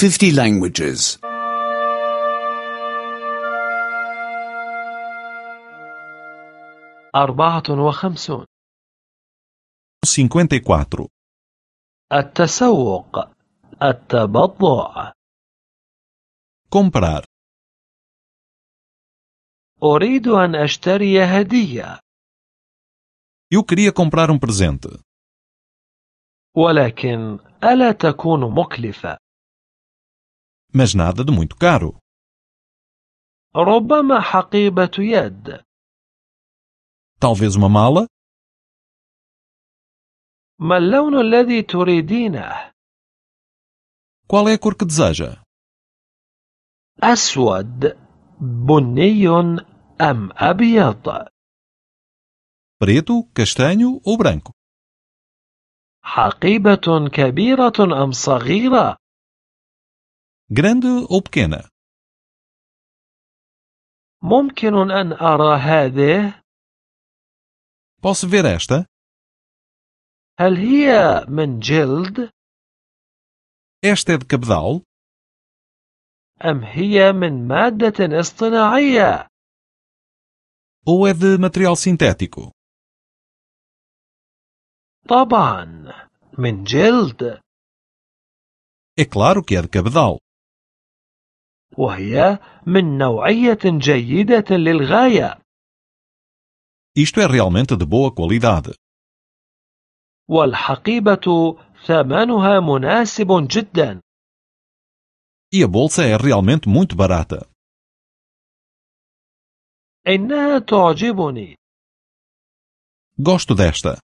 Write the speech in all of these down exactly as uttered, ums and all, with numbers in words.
fifty languages. أربعة وخمسون. cinquenta e quatro. التسوق، التبضع. Comprar. أريد أن أشتري هدية. Eu queria comprar um presente. ولكن ألا تكون مكلفة؟ Mas nada de muito caro. ربما حقيبة يد. Talvez uma mala? ما اللون الذي تريدينه؟ Qual é a cor que deseja? أسود، بني أم أبيض؟ Preto, castanho ou branco? حقيبة كبيرة أم صغيرة؟ Grande ou pequena? ممكن أن أرى هذه؟ Posso ver esta? هل هي من جلد؟ Esta é de cabedal? أم هي من مادة اصطناعية؟ Ou é de material sintético? طبعا من جلد. É claro que é de cabedal. وهي من نوعية جيدة للغاية. Isto é realmente de boa qualidade. والحقيبة ثمنها مناسب جدا. E a bolsa é realmente muito barata. إنها تعجبني. Gosto desta.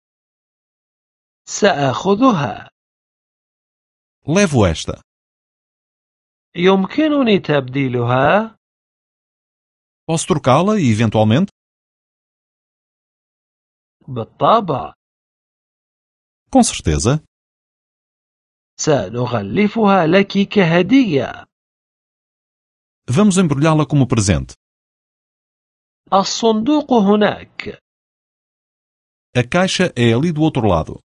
سأخذها. Levo esta. يمكنني تبديلها؟ Posso trocá-la e, eventualmente? بالطبع. Com certeza. سنغلفها لك كهدية. Vamos embrulhá-la como presente. الصندوق هناك. A caixa é ali do outro lado.